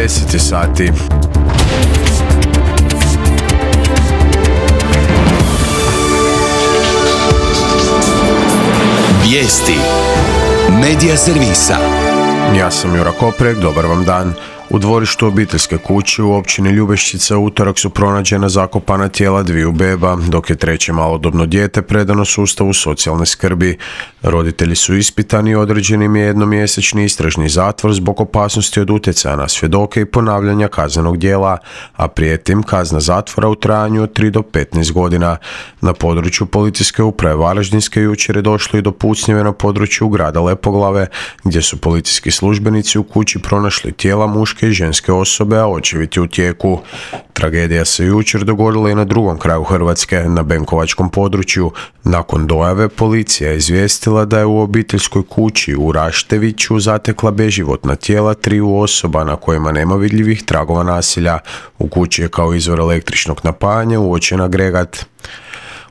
10 sati. Vijesti Medija servisa. Ja sam Jura Koprek, dobar vam dan. U dvorištu obiteljske kuće u općini Ljubešćica u utorak su pronađena zakopana tijela dviju beba, dok je treće malodobno dijete predano sustavu socijalne skrbi. Roditelji su ispitani i određen im je jednomjesečni istražni zatvor zbog opasnosti od utjecaja na svjedoke i ponavljanja kaznenog djela, a prijeti im kazna zatvora u trajanju od 3 do 15 godina. Na području policijske uprave Varaždinske jučer je došlo i do pucnjeve na području grada Lepoglave, gdje su policijski službenici u kući pronašli tijela muške i ženske osobe, a očevid je u tijeku. Tragedija se jučer dogodila i na drugom kraju Hrvatske, na Benkovačkom području. Nakon dojave policija je izvijestila da je u obiteljskoj kući u Rašteviću zatekla beživotna tijela triju osoba na kojima nema vidljivih tragova nasilja. U kući je kao izvor električnog napajanja uočen agregat.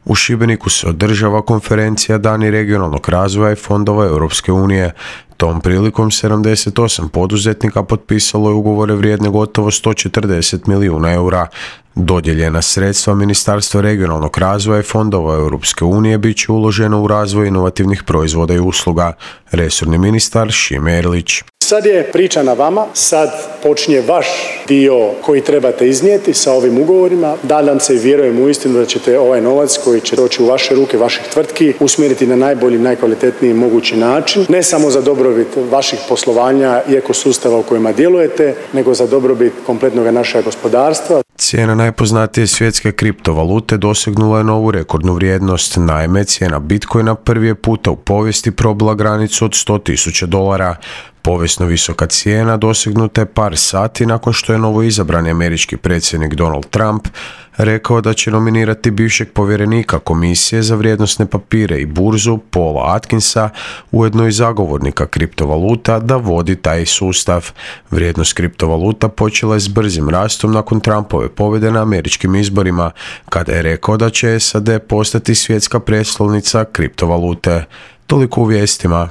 U Šibeniku se održava konferencija Dani regionalnog razvoja i fondova Europske unije. Tom prilikom 78 poduzetnika potpisalo je ugovore vrijedne gotovo 140 milijuna eura. Dodijeljena sredstva Ministarstva regionalnog razvoja i fondova Europske unije bit će uloženo u razvoj inovativnih proizvoda i usluga. Resorni ministar Šime Erlić. Sad je priča na vama, sad počinje vaš dio koji trebate iznijeti sa ovim ugovorima. Nadam se i vjerujem uistinu da ćete ovaj novac koji će doći u vaše ruke, vaših tvrtki, usmjeriti na najbolji, najkvalitetniji mogući način. Ne samo za dobrobit vaših poslovanja i ekosustava u kojima djelujete, nego za dobrobit kompletnog našeg gospodarstva. Cijena najpoznatije svjetske kriptovalute dosegnula je novu rekordnu vrijednost. Naime, cijena Bitcoina prvi je puta u povijesti probila granicu od $100,000. Povijesno visoka cijena dosegnuta je par sati nakon što je novoizabrani američki predsjednik Donald Trump rekao da će nominirati bivšeg povjerenika komisije za vrijednosne papire i burzu Paula Atkinsa, ujedno i zagovornika kriptovaluta, da vodi taj sustav. Vrijednost kriptovaluta počela je s brzim rastom nakon Trumpove pobjede na američkim izborima, kada je rekao da će SAD postati svjetska prijestolnica kriptovalute. Toliko u vijestima.